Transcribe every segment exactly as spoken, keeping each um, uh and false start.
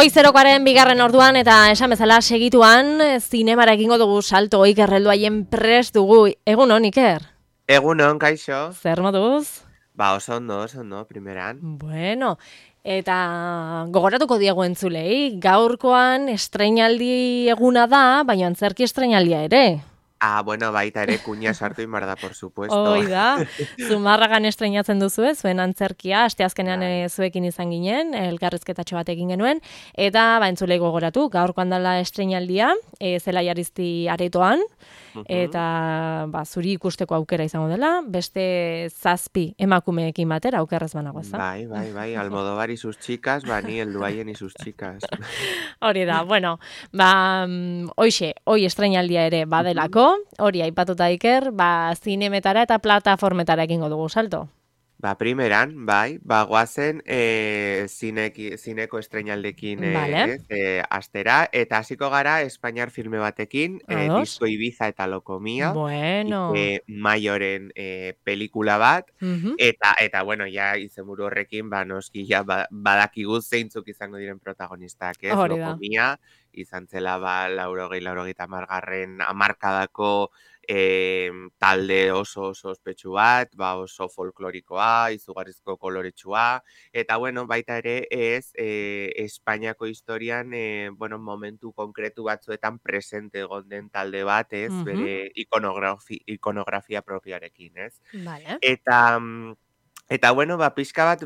Goizerokaren bigarren orduan eta esan bezala segituan zinemara egingo dugu salto. Iker helduaien prest dugu. Egun hon, Iker? Egun hon, kaixo. Zer moduz? Ba, oso ondo, oso ondo, primeran. Bueno, eta gogoratuko diegu entzulei, gaurkoan estreinaldi eguna da, baina antzerki estreinaldia ere. Ah, bueno, baita ere kuña sartu inbar da, por supuesto. Hoi da, Zumarragan estreinatzen duzu ez, zuen antzerkia, asteazkenean e, zuekin izan ginen, elkarrizketatxo bat egin genuen, eta ba, entzulei gogoratu, gaurkoan dela estreinaldia, e, Zelai Arizti aretoan, eta ba, zuri ikusteko aukera izango dela, beste zazpi emakumeekin batera aukerrez banago, ez da? Bai, bai, bai, Almodóvar y sus chicas, ba, ni helduaien y sus chicas. Hori da, bueno, ba, hoxe, hoi estreinaldia ere badelako, hori aipatuta Iker, ba, zinemetara eta plataformetara egingo dugu salto. Ba, primeran, bai, ba, guazen e, zineki, zineko estreinaldekin e, Vale. ez, e, astera, eta hasiko gara Espainiar filme batekin, e, Ados. Disko Ibiza eta Lokomia, Bueno. e, Maioren e, pelikula bat, Mhm. eta, eta, bueno, ja, izenburu horrekin, ba, noski, ja, ba, badakigu zeintzuk izango diren protagonistak, ez, Hori da. Lokomia, izan zela, ba, laurogei, laurogeita hamargarren hamarkadako E, talde oso oso ospetsu bat, ba oso folklorikoa, izugarrizko koloretsua, eta bueno, baita ere ez e, Espainiako historian e, bueno, momentu konkretu batzuetan presente egon den talde bat, ez, Mhm. bere ikonografi, ikonografia propioarekin, ez? Vale. Eta Eta bueno, ba, pixka bat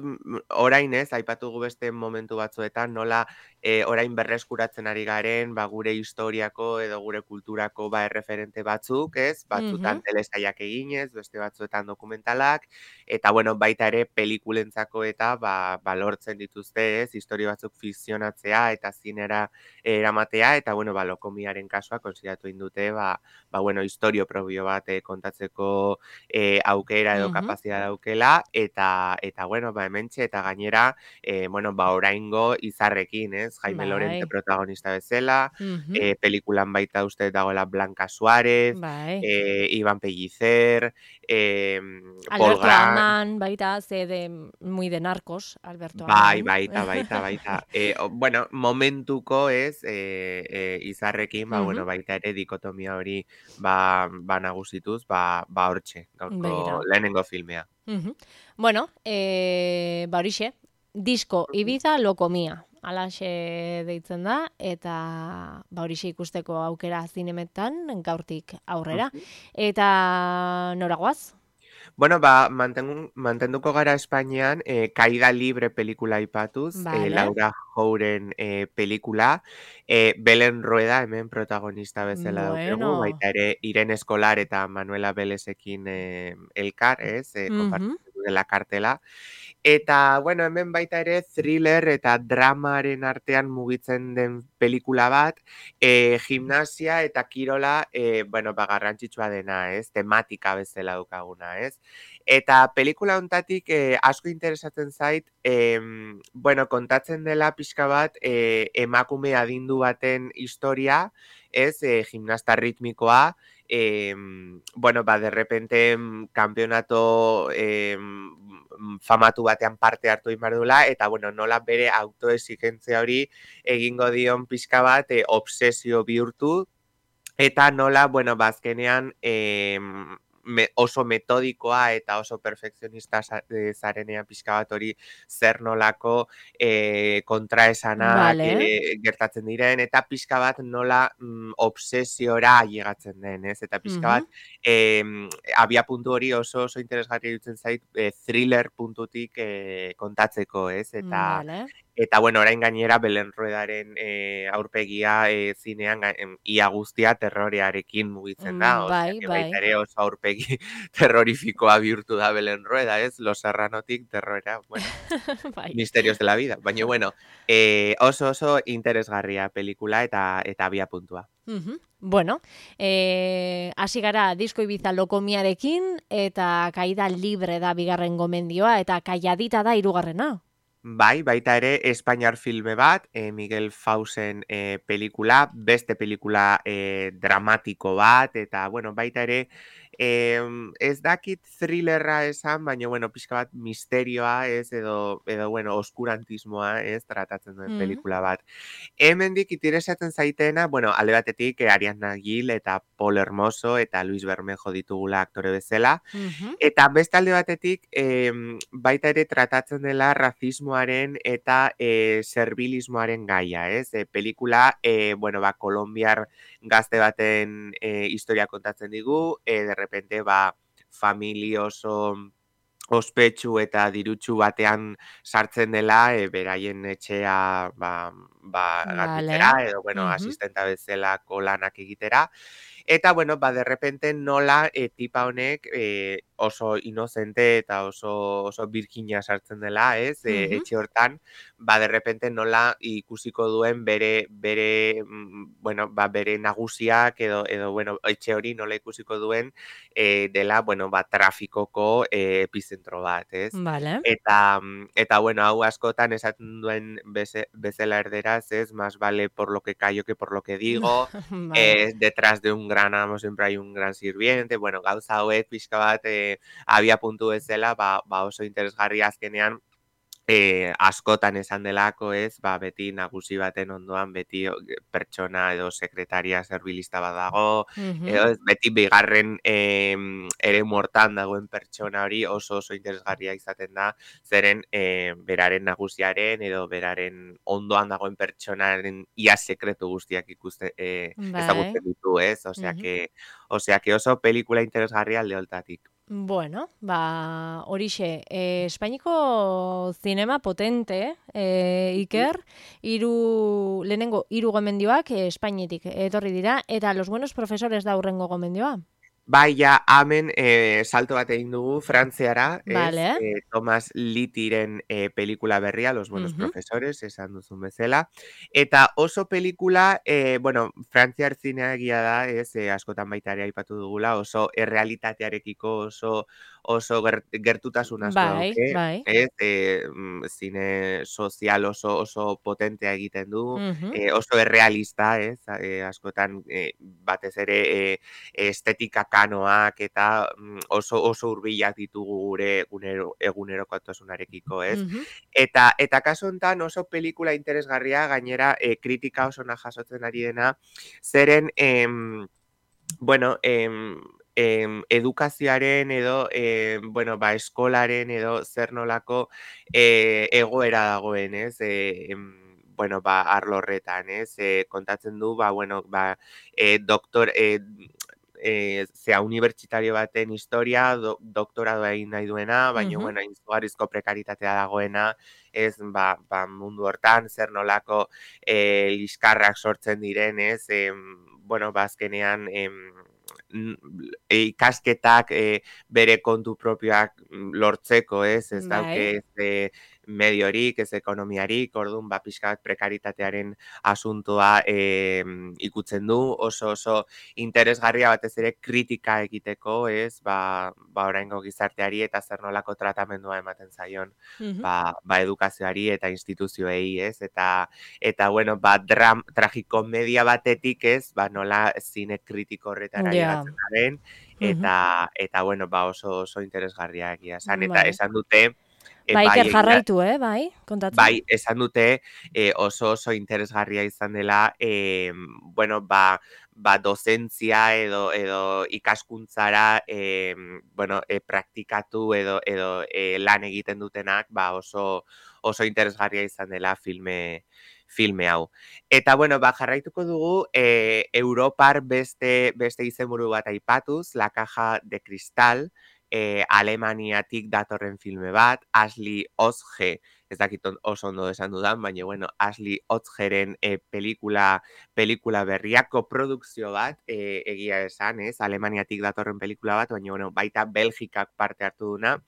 orain ez, aipatugu beste momentu batzuetan, nola e, orain berreskuratzen ari garen, ba, gure historiako edo gure kulturako ba, erreferente batzuk, ez? Batzutan Mhm. telesaiak eginez, beste batzuetan dokumentalak, eta bueno, baita ere pelikulentzako eta ba, ba, lortzen dituzte, ez? Historia batzuk fikzionatzea eta zinera eramatea, eta bueno, ba, Lokomiaren kasua konsideratu indute, ba, ba, bueno, historio propio bat eh, kontatzeko e, aukera edo Mhm. kapazitatea daukela, eta, eta bueno, ba, hementxe, eta gainera, e, bueno, ba, oraingo izarrekin, ez? Jaime Bai. Lorente protagonista bezala, Mhm. e, pelikulan baita uste dagoela Blanca Suárez, Bai. e, Iban Pellicer, e, Paul Alberto Grant, Aman, baita, ze de, muy de narcos, Alberto bai, Aman. baita, baita, baita. E, o, bueno, momentuko ez, e, e, izarrekin, ba, bueno, Mhm. baita ere dikotomia hori ba, ba nagusituz, ba, ba hortxe, gaurko Begira. lehenengo filmea. Mhm. Bueno, e, ba horixe, Disko Ibiza Lokomia, alaxe deitzen da, eta ba horixe ikusteko aukera zinemetan gaurtik aurrera. Mhm. Eta noragoaz? Bueno, ba, mantengu, mantenduko gara Espainian, eh, Caída Libre pelikula aipatuz, Vale. eh, Laura Jouren eh, pelikula, eh, Belen Rueda hemen protagonista bezala daukegu, Bueno. baita ere Irene Escolar eta Manuela Belesekin eh, elkar, ez, eh, Mhm. konpartitu dela kartela. Eta, bueno, hemen baita ere thriller eta dramaren artean mugitzen den pelikula bat, e, gimnasia eta kirola, e, bueno, ba, garrantzitsua dena, ez? Tematika bezala daukaguna, ez? Eta pelikula hontatik e, asko interesatzen zait, e, bueno, kontatzen dela pixka bat e, emakume adindu baten historia, ez? E, gimnasta ritmikoa, eh, bueno, ba, de repente kampeonato eh, famatu batean parte hartu inbardula, eta bueno, nola bere autoexigentzia hori egingo dion pixka bat e, obsesio bihurtu, eta nola, bueno, bazkenean e, me, oso metodikoa eta oso perfekzionista zarenean pixka bat hori zer nolako e, kontraesanak Vale. e, gertatzen diren, eta pixka bat nola mm, obsesiora llegatzen den, ez? Eta pixka bat e, abia puntu hori oso oso interesgarri dutzen zait e, thriller puntutik e, kontatzeko, ez? Eta Vale. Eta, bueno, orain gainera Belen Ruedaren e, aurpegia e, zinean em, ia guztia terrorearekin mugitzen da. Mm, Osea, bai, que bai. baita ere oso aurpegi terrorifikoa bihurtu da Belen Rueda, ez? Los Serranotik terrora, bueno, Bai. misterios de la vida. Baina, bueno, e, oso oso interesgarria pelikula eta eta abia puntua. Mhm. Bueno, eh, hasi gara Disko Ibiza Lokomiarekin, eta Caída Libre da bigarren gomendioa, eta Calladita da hirugarrena. Bai, baita ere Espainiar filme bat, e, Miguel Fausen e, pelikula, beste pelikula e, dramatiko bat, eta bueno, baita ere Em, ez dakit thrillerra esan, baina, bueno, pixka bat misterioa, ez, edo, edo bueno, oskurantismoa, ez, tratatzen duen Mm. pelikula bat. Hemendik interesatzen zaitena, bueno, alde batetik eh, Ariadna Gil eta Paul Hermoso eta Luis Bermejo ditugula aktore bezala. Mhm. Eta beste alde batetik, em, baita ere tratatzen dela razismoaren eta e, servilismoaren gaia, ez? E, pelikula, e, bueno, ba, kolombiar gazte baten e, historia kontatzen digu, e, de repente, ba, famili oso ospetsu eta dirutsu batean sartzen dela, e, beraien etxea ba, ba, garbitzera, Vale. edo, bueno, Mhm. asistenta bezalako lanak egitera. Eta, bueno, ba, de repente nola e, tipa honek e, oso inocente eta oso, oso birkina sartzen dela, ez? E, Mhm. etxe hortan, ba, de repente nola ikusiko duen bere, bere, mm, bueno, ba, bere nagusiak edo, edo, bueno, etxe hori nola ikusiko duen e, dela, bueno, ba, trafikoko e, epizentro bat, ez? Vale. Eta, mm, eta, bueno, hau askotan esaten duen beze, bezala erderaz, ez? Más vale por lo que callo que por lo que digo. Vale. Eh, detrás de un gran amo siempre hay un gran sirviente, bueno, gauza hauek pixka bat eh, abia puntu bezala, ba, ba oso interesgarria azkenean, eh, askotan esan delako, ez, ba, beti nagusi baten ondoan, beti o, pertsona edo sekretaria serbilista bat dago, Mhm. edo ez, beti bigarren em, ere mortan dagoen pertsona hori oso oso interesgarria izaten da, zeren eh, beraren nagusiaren edo beraren ondoan dagoen pertsonaren ia sekretu guztiak ikuste, eh, Bai. ezagutzen ditu, ez? Osea Mhm. que, osea que oso pelikula interesgarria alde holtatik. Bueno, ba, horixe, e, Espainiko zinema potente, e, Iker, hiru lehenengo hiru gomendioak e, Espainetik etorri dira, eta Los buenos profesores da hurrengo gomendioa. Bai, ja, hemen e, salto bat egin dugu Frantziara, ez? Vale. E, Thomas Littiren e, pelikula berria, Los buenos Mhm. profesores, esan duzun bezala. Eta oso pelikula, e, bueno, Frantziar zinea egia da, ez? E, askotan baita ere aipatu dugula, oso errealitatearekiko oso oso ger, gertutasun asko Bai, dauke, bai. ez? E, mm, zine sozial oso oso potentea egiten du, Mhm. e, oso errealista, ez? E, askotan e, batez ere e, estetika kanoak eta mm, oso oso hurbilak ditugu gure egunero, egunerokotasunarekiko, ez? Mhm. Eta eta kasu hontan oso pelikula interesgarria, gainera e, kritika oso na jasotzen ari dena, zeren em, bueno, em, em, edukazioaren edo em, bueno, ba, eskolaren edo zer nolako e, egoera dagoen, ez? E, em, bueno, ba, arlo horretan, ez? E, kontatzen du, ba, bueno, ba, e, doktor, e, e, zea unibertsitario baten historia, do, doktoradoa egin nahi duena, baina, Mhm. bueno, izugarrizko prekaritatea dagoena, ez, ba, ba, mundu hortan, zer nolako e, liskarrak sortzen diren, ez, em, bueno, ba, azkenean, em, n- e, ikasketak e, bere kontu propioak mm, lortzeko, ez, ez dauke Bai. ez e, mediorik, ez ekonomiarik, orduan, ba, pixka bat prekaritatearen asuntoa e, ikutzen du, oso oso interesgarria batez ere kritika egiteko, ez, ba, ba oraingo gizarteari eta zer nolako tratamendua ematen zaion, Mhm. ba, ba edukazioari eta instituzioei, ez, eta eta bueno, ba dram, tragikomedia batetik, ez, ba nola zine kritiko horretara Ja. llegatzen garen Mhm. eta eta bueno, ba oso oso interesgarria egia esan eta Bai. esan dute e, Ba, Iker bai egia jarraitu, eh, bai, kontatzen. bai, esan dute e, oso oso interesgarria izan dela, e, bueno, ba, ba dozentzia edo edo ikaskuntzara e, bueno, e, praktikatu edo edo e, lan egiten dutenak, ba oso oso interesgarria izan dela filme filme hau. Eta bueno, ba jarraituko dugu e, Europar beste beste izenburu bat aipatuz, La caja de cristal, e, Alemaniatik datorren filme bat, Ashley Osge, ez dakit on- oso ondo esan dudan, baina bueno, Ashley Otzgeren e, pelikula, pelikula berria, koprodukzio bat, e, egia esan, ez, Alemaniatik datorren pelikula bat, baina bueno, baita Belgikak parte hartu duna.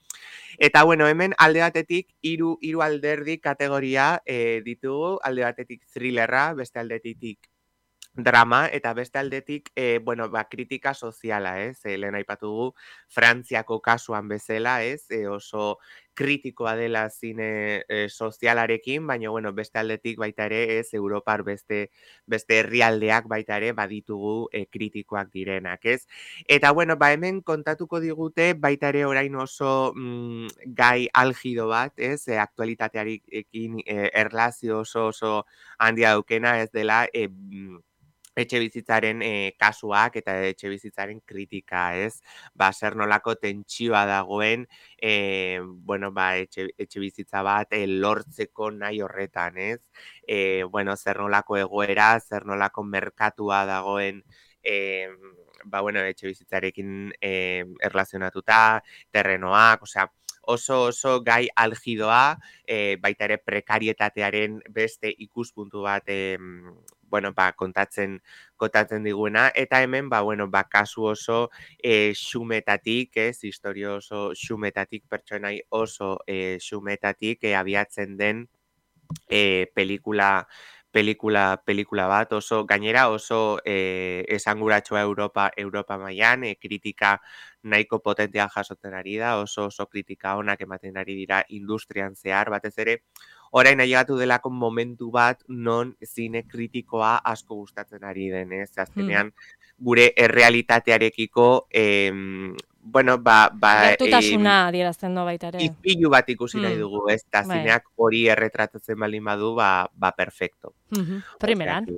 Eta bueno, hemen alde batetik, hiru hiru alderdi kategoria e, ditugu, alde batetik thrillerra, beste aldetik drama, eta beste aldetik, e, bueno, ba, kritika soziala, ez? E, lehen aipatu dugu, Frantziako kasuan bezala, ez? E, oso kritikoa dela zine e, sozialarekin, baina bueno, beste aldetik baita ere ez Europar beste beste herrialdeak baita ere baditugu e, kritikoak direnak, ez? Eta bueno, ba hemen kontatuko digute baita ere orain oso mm, gai algido bat, ez? E, aktualitatearekin e, erlazio oso oso handia daukena ez dela e, etxe bizitzaren e, kasuak eta etxe bizitzaren kritika, ez? Ba, zer nolako tentsioa dagoen, e, bueno, ba, etxe, etxe bizitza bat e, lortzeko nahi horretan, ez? E, bueno, zer nolako egoera, zer nolako merkatua dagoen, e, ba, bueno, etxe bizitzarekin e, erlazionatuta, terrenoak, osea, oso oso gai algidoa, e, baita ere prekarietatearen beste ikuspuntu bat e, bueno, ba, kontatzen kontatzen diguena, eta hemen, ba, bueno, ba, kasu oso e, xumetatik, ez, historio oso xumetatik, pertsonai oso e, xumetatik e, abiatzen den e, pelikula pelikula pelikula bat, oso gainera oso e, esanguratsua Europa Europa mailan, e, kritika nahiko potentea jasotzen ari da, oso oso kritika onak ematen ari dira industrian zehar, batez ere orain ailegatu delako momentu bat non zine kritikoa asko gustatzen ari den, ez? Azkenean gure errealitatearekiko em, bueno, ba, ba gertutasuna adierazten du baita ere. Ispilu bat ikusi nahi Mm. dugu, ez? Ta Bai. zineak hori erretratatzen baldin badu, ba, ba perfecto. Mhm, primeran. Osea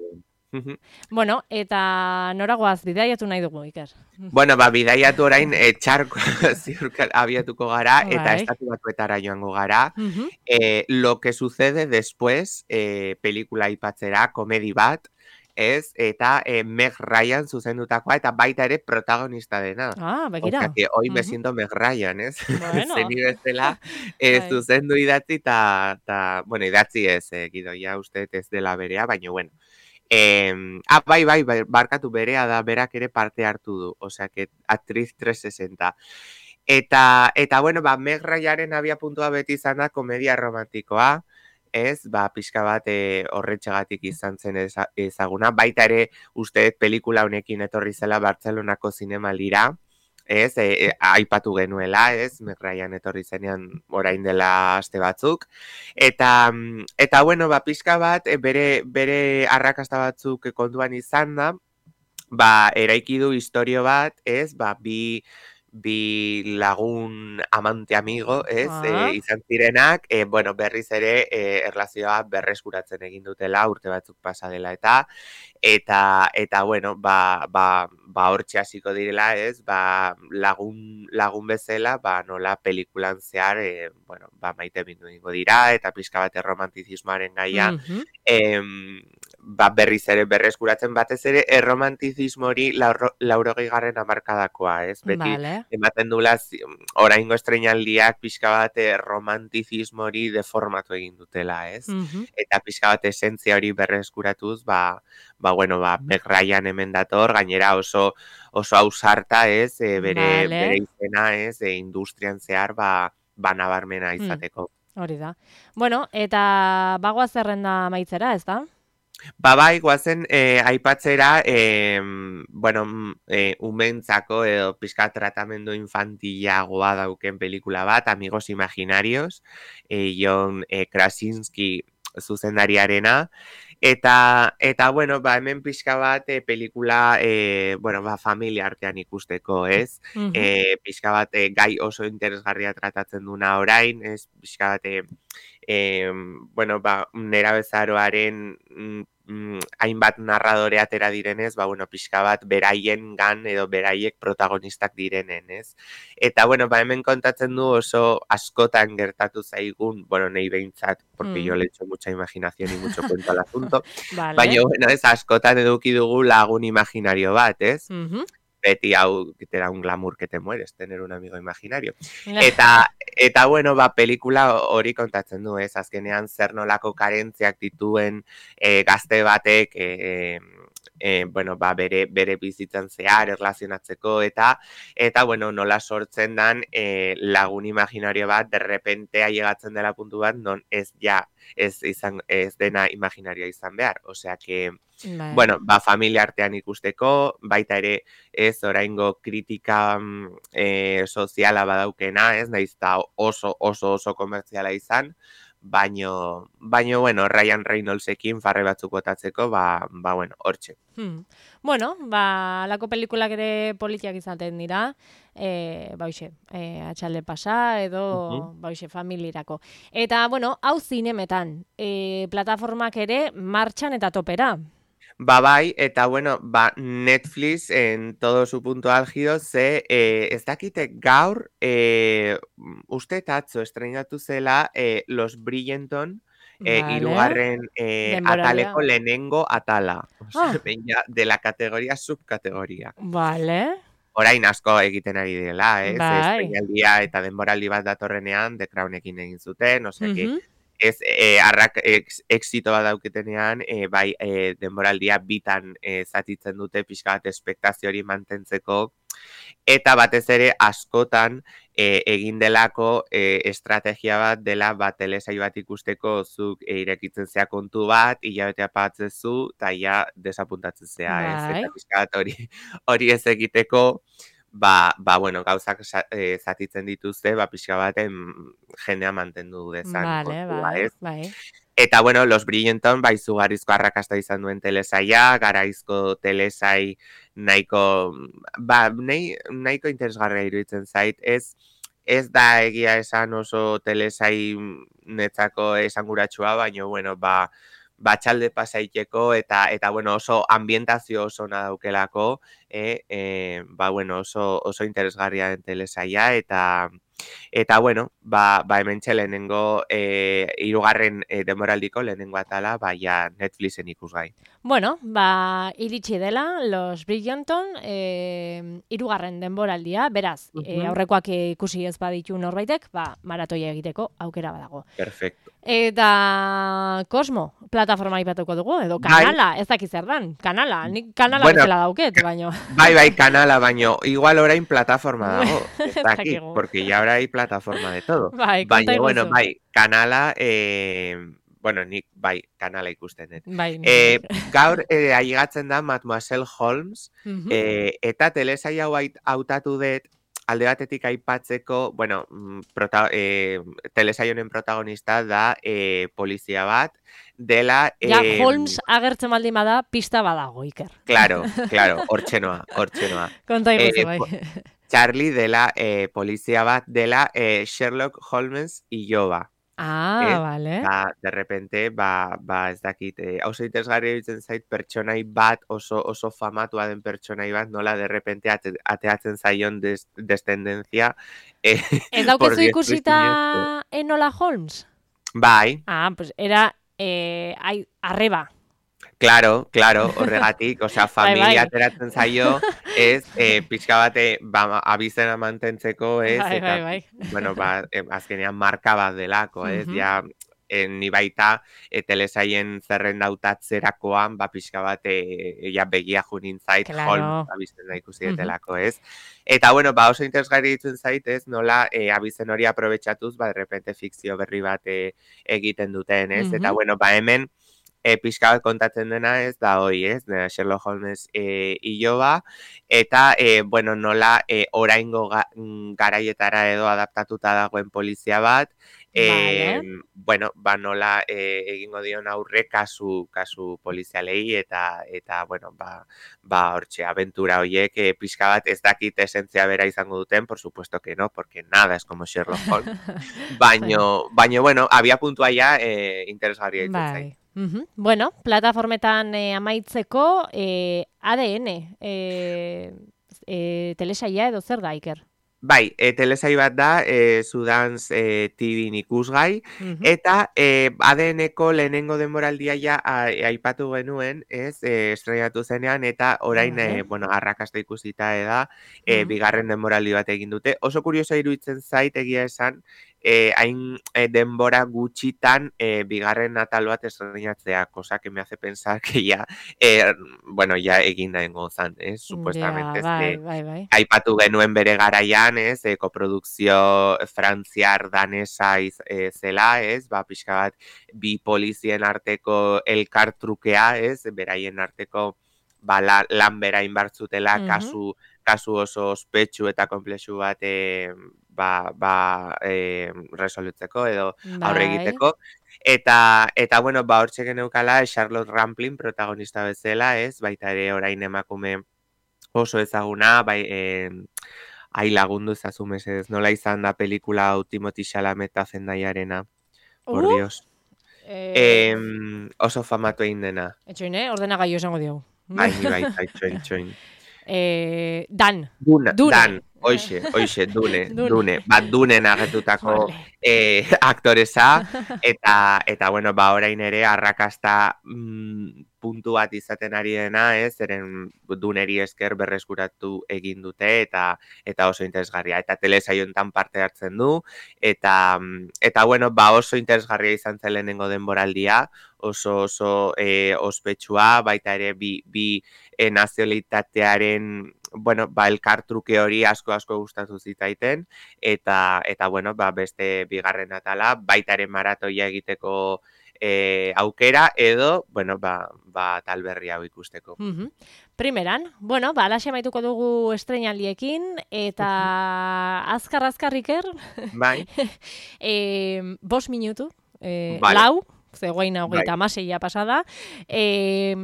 que, mhm. Bueno, eta noragoaz bidaiatu nahi dugu, Iker. Bueno, ba, bidaiatu orain e, txarko ziurka abiatuko gara eta Bai. estatu batuetara joango gara. Mhm. Eh, lo que sucede después, eh, pelikula aipatzera, komedi bat, ez? Eta eh, Meg Ryan zuzendutakoa eta baita ere protagonista dena. Ah, O begira. sea que hoy me Mhm. siento Meg Ryan, ez? Bueno. Zeni bezala eh, Bai. zuzendu idatzi eta, ta, bueno, idatzi ez, eh, gidoia uste dut ez dela berea, baina bueno. Eh, ah, bai, bai, bai, barkatu berea da, berak ere parte hartu du, osea que actriz trescientos sesenta. Eta, eta bueno, ba, Meg Ryanaren abiapuntua beti izan da komedia romantikoa, ez, ba, pixka bat e, horretxegatik izan zen eza- ezaguna, baita ere uste dut pelikula honekin etorri zela Bartzelonako zinemaldira, ez, e, e, aipatu genuela, ez, Meg Ryan etorri zenean orain dela aste batzuk, eta, mm, eta bueno, ba, pixka bat e, bere, bere arrakasta batzuk kontuan izan da, ba, eraiki du istorio bat, ez, ba, bi, bi lagun amante amigo, ez, Ah. e, izan zirenak, e, bueno, berriz ere e, erlazioa berreskuratzen egin dutela urte batzuk pasa dela eta, eta, eta bueno, ba, ba, ba hortxe hasiko direla, ez, ba, lagun, lagun bezala, ba, nola pelikulan zehar, e, bueno, ba, maite bindu egingo dira, eta pixka bat erromantizismoaren gaia, Mhm. em, ba, berriz ere berreskuratzen batez ere erromantizismo hori lauro- laurogei garren hamarkadakoa, ez? Beti Vale. ematen dula zi- oraingo estreinaldiak pixka bat eh, romantizismo hori deformatu egin dutela, ez? Mhm. Eta pixka bat esentzia hori berreskuratuz, ba, ba bueno, ba, Meg Ryan hemen dator, gainera oso oso ausarta, ez? E, bere, Vale. bere izena, ez? E, industrian zehar, ba, ba nabarmena Mm. izateko. Hori da. Bueno, eta bagoa zerrenda amaitzera, ez da? Ba bai, guazen eh, aipatzera, eh, bueno, mm, eh, umentzako edo pixka tratamendu infantilagoa dauken pelikula bat, Amigos Imaginarios, eh, John eh, Krasinski zuzendariarena, eta, eta bueno, ba, hemen pixka bat eh, pelikula, eh, bueno, ba, familia artean ikusteko, ez? Mhm. Eh, pixka bat eh, gai oso interesgarria tratatzen duna orain, ez? Pixka bat eh, eh, bueno, ba, nerabezaroaren mm, mm, hainbat narradore atera direnez, ba, bueno, pixka bat beraien gan edo beraiek protagonistak direnen, ez? Eta, bueno, ba, hemen kontatzen du oso askotan gertatu zaigun, bueno, nahi behintzat, porque Mm. yo le echo mucha imaginación y mucho cuento al asunto, Vale. baina, bueno, ez askotan eduki dugu lagun imaginario bat, ez? Mhm. Beti hau te da un glamour que te mueres, tener un amigo imaginario. Eta, eta bueno, ba, pelikula hori kontatzen du, ez? Azkenean zer nolako karentziak dituen e, gazte batek e, e, bueno, ba, bere, bere bizitzan zehar erlazionatzeko, eta, eta bueno, nola sortzen dan e, lagun imaginario bat, derrepente ailegatzen dela puntu bat, non ez ja, ez, izan, ez dena imaginarioa izan behar. Osea, que, Bai. bueno, ba, familia artean ikusteko, baita ere ez oraingo kritika mm, e, soziala badaukena, ez, nahiz eta oso, oso, oso komertziala izan, baino, baino, bueno, Ryan Reynoldsekin farre batzuk botatzeko, ba, ba bueno, hortxe. Hmm. Bueno, ba, lako pelikulak ere politiak izaten dira, e, ba, hoxe, e, atxalde pasa edo, Mhm. ba, hoxe, familirako. Eta, bueno, hau zinemetan, e, plataformak ere martxan eta topera. Ba bai, eta bueno, ba Netflix en todo su punto álgido ze eh, ez dakite gaur eh, uste atzo estrenatu zela eh, Los Bridgerton eh, Vale, hirugarren eh, denboraldia. ataleko lehenengo atala. Osea, Ah, ja, de la categoría subcategoría. vale, Orain asko egiten ari direla, ez? bai. Estreinaldia eta denboraldi bat datorrenean The Crownekin egin zuten, osea que Mhm. ez eh, arrak ex, exito bat dauketenean, eh, bai eh, denboraldia bitan eh, zatitzen dute pixka bat espektazio hori mantentzeko, eta batez ere askotan eh, egin delako eh, estrategia bat dela bat telesail bat ikusteko zuk eh, irekitzen zea kontu bat, hilabetea pagatzezu, eta ja desapuntatzen zea, ez? Bai, Eta pixka bat hori, hori ez egiteko, ba, ba bueno, gauzak sa- eh, zatitzen dituzte, ba, pixka baten jendea mantendu dezan vale, kontua, bai, ez? bai. Eta, bueno, Los Bridgerton, bai, izugarrizko arrakasta izan duen telesaia, garaizko telesai nahiko, ba, nahi, nahiko interesgarria iruditzen zait, ez, ez da egia esan oso telesai netzako esanguratsua, baina, bueno, ba, batxalde pasaiteko eta, eta bueno, oso ambientazio oso ona daukelako, eh, eh, ba, bueno, oso, oso interesgarria den telesaia, eta, eta bueno, ba, ba hementxe lehenengo eh, hirugarren eh, denboraldiko lehenengo atala, ba, ja Netflixen ikusgai. Bueno, ba, iritsi dela, Los Bridgerton, e, irugarren denboraldia, beraz, e, Ujú. aurrekoak ikusi ez baditu norbaitek, ba, maratoia egiteko aukera badago. Perfecto. Eta Cosmo, plataforma ipatuko dugu, edo Bai, kanala, ez dakit zer dan, kanala, nik kanala bueno, bezala dauket, baino, bai, bai, kanala, baino, igual orain plataforma dago, ez ez dakit, dakigu. porque ya ahora hay plataforma de todo. Bai, konta Baina, bueno, iguzu. bai, kanala, eh, bueno, nik, bai, kanala ikusten dut. Bai, nik bai. Eh, gaur, eh, ailegatzen da Mademoiselle Holmes, Mhm. eh, eta telesaia hau ait- hautatu dut, alde batetik aipatzeko, bueno, mm, prota, eh, telesaio honen protagonista da eh, polizia bat, dela... Ja, Eh, Holmes agertzen baldin bada, pista badago, Iker. claro, claro, hortxe noa, hortxe noa. Konta iguzu, Eh, bai. po- Charlie dela eh, polizia bat dela eh, Sherlock Holmes iloba. Ah, Ez? vale. Ba, de repente, ba, ba ez dakit, eh, oso interesgarria iruditzen zait pertsonai bat, oso, oso famatua den pertsonai bat, nola de repente ate, ateatzen zaion des, descendencia eh, Ez por daukezu diestro y siniestro. ikusita Enola Holmes? Bai, Ah, pues era eh, ai, arreba. claro, claro, horregatik, osea, Bai, familia bai. ateratzen zaio, ez, eh, pixka bate, ba, abizena mantentzeko, ez, Bai, bai, eta, bai. bueno, ba, eh, azkenean marka bat delako, ez, Mhm. ja, eh, ni baita, e, telesaien zerrenda hautatzerakoan, ba, pixka bat, e, ja, begia junin zait, Holmes Claro. abizena ikusi Mhm. etelako, ez. Eta, bueno, ba, oso interesgarri ditzen zait, ez, nola, e, abizen hori aprobetxatuz, ba, de repente fikzio berri bat e, egiten duten, ez, eta, Mhm. bueno, ba, hemen, e, pixka bat kontatzen dena ez da hoi, ez, da Sherlock Holmes e, iloba, eta, e, bueno, nola e, oraingo ga, mm, garaietara edo adaptatuta dagoen polizia bat, e, Vale. bueno, ba nola e, egingo dion aurre kasu, kasu polizialei, eta, eta bueno, ba, ba hortxe, aventura hoiek e, pixka bat ez dakit esentzia bera izango duten, por supuesto que no, porque nada es como Sherlock Holmes, Bai. baino, baino, bueno, abia puntua ja e, interesgarria ditzen zait. Bai. Mhm. Bueno, plataformetan eh, amaitzeko eh, A D N, eh, eh, telesaia edo zer da, Iker? Bai, e, telesai bat da, e, Sudans e, T V ikusgai, Mhm. eta e, A D N-ko lehenengo denboraldia ja a- aipatu genuen, ez, e, estrenatu zenean, eta orain, Vale. e, bueno, arrakasta ikusita eda, e, Mhm. bigarren denboraldi bat egin dute. Oso kurioso iruditzen zait egia esan, eh, hain eh, denbora gutxitan eh, bigarren atal bat estrenatzea, cosa que me hace pensar que ya, eh, bueno, ya egin da engozan, eh, Ja, supuestamente, bai, ze, bai, bai. aipatu genuen bere garaian, ez, e, koprodukzio frantziar danesa iz, e, zela, ez, ba, pixka bat, bi polizien arteko elkartrukea, ez, beraien arteko, ba, la, lan berain bartzutela, Mhm. kasu, kasu oso ospetsu eta komplexu bat, e, ba, ba, e, resolutzeko edo aurre Bai. egiteko. Eta, eta bueno, ba, hortxe geneukala Charlotte Rampling protagonista bezala, ez, baita ere orain emakume oso ezaguna, bai, eh, ai lagundu ezazu mesedez, nola izan da pelikula hau Timothy Chalamet eta Zendaiarena, por Uh, Dios. eh, Em, oso famatu egin dena. etxoin, eh? Ordenagailu esango diogu. Bai, ni baita, itxoin, itxoin. eh, Dan. Duna, Dune. Dan, oixe, oixe, Dune, Dune. Dune, bat Dunen agetutako Vale. eh, aktoresa, eta, eta bueno, ba, orain ere arrakasta mm, puntu bat izaten ari dena, ez, zeren Duneri esker berreskuratu egin dute, eta eta oso interesgarria, eta telesaiontan parte hartzen du, eta, eta bueno, ba, oso interesgarria izan zen lehenengo denboraldia, oso oso eh, ospetsua, baita ere bi, bi eh, nazionalitatearen bueno, ba, elkartruke hori asko asko gustatu zitaiten, eta, eta bueno, ba, beste bigarren atala, baita ere maratoia egiteko e, aukera, edo, bueno, ba, ba, tal berri hau ikusteko. Mhm. Primeran, bueno, ba, alaxe maituko dugu estreinaldiekin, eta azkar-azkar Iker, Bai, e, bos minutu, e, Vale. lau, zegoain hogeita Bai. hamaseia pasada, e,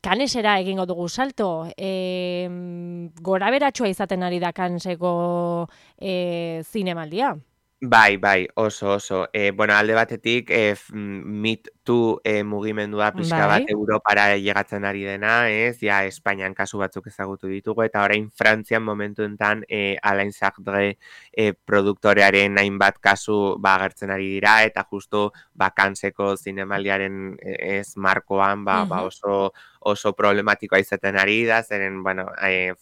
kanesera egingo dugu salto, e, gora beratxua izaten ari da kanseko e, zinemaldia. Bai, bai, oso, oso. E, bueno, alde batetik, e, f- mm, Meet Too e, mugimendua pixka Bai. bat Europara llegatzen ari dena, ez? Ja, Espainian kasu batzuk ezagutu ditugu, eta orain Frantzian momentu enten e, Alain Sardre e, produktorearen hainbat kasu ba, agertzen ari dira, eta justu ba, kanseko zinemaldiaren e, ez markoan ba, ba Mhm. oso oso problematikoa izaten ari da, zeren, bueno, e,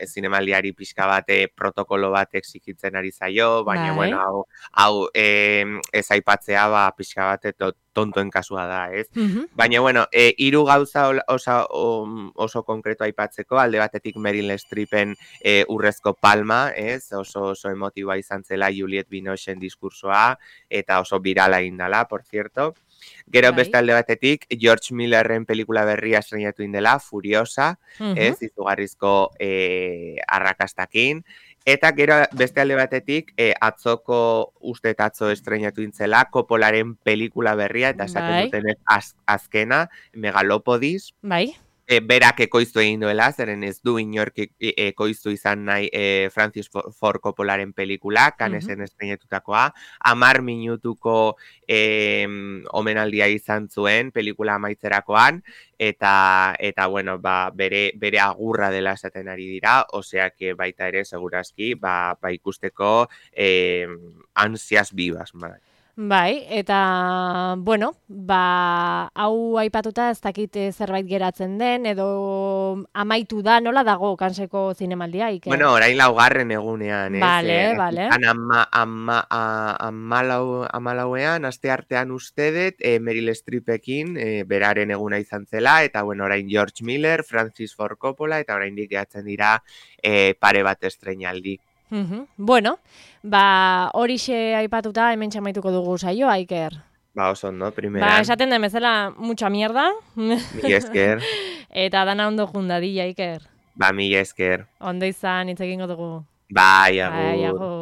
zinemaldiari pixka bat e, protokolo bat exigitzen ari zaio, baina, Bai. bueno, hau, hau e, ez aipatzea, ba, pixka bat to, tontoen kasua da, ez? Mhm. Baina, bueno, e, hiru gauza ol- oso, oso konkreto aipatzeko, alde batetik Meryl Streepen e, urrezko palma, ez? Oso, oso emotiboa izan zela Juliette Binochen diskursoa, eta oso virala egin dela, por cierto. Gero Bai. beste alde batetik, George Millerren pelikula berria estrenatu indela, Furiosa, Mhm. ez, izugarrizko e, arrakastakin. Eta gero beste alde batetik, e, atzoko uste atzo estrenatu intzela, Coppolaren pelikula berria, eta esaten Bai. dutenez az, azkena, Megalopodis, Bai. e, berak ekoiztu egin duela, zeren ez du inork e- e- ekoiztu izan nahi e, Francis Fo- Ford Coppolaren pelikula, kanesen Mhm. estrenatutakoa, amar minutuko e, omenaldia izan zuen pelikula amaitzerakoan, eta, eta bueno, ba, bere, bere agurra dela esaten ari dira, oseak baita ere, segurazki, ba, ba ikusteko e, ansias bibas, bai. Bai, eta, bueno, ba, hau aipatuta ez dakit eh, zerbait geratzen den, edo amaitu da, nola dago kanseko zinemaldia, Iker? Bueno, orain laugarren egunean, ez? Vale, Eh, vale. Han ama, ama, a- amalau, amalauean, aste artean uste dut, eh, Meryl Streepekin, eh, beraren eguna izan zela, eta bueno, orain George Miller, Francis Ford Coppola, eta oraindik gehatzen dira eh, pare bat estreinaldi. Mhm. Bueno, ba, horixe aipatuta hemen txamaituko dugu saioa, Iker. Ba, oso ondo, Ba, primeran, esaten den bezala, mucha mierda. mila esker, Eta dana ondo jundadilla, Iker. ba, mila esker. Ondo izan, hitz egingo dugu. Bai, Bai, agur. agur.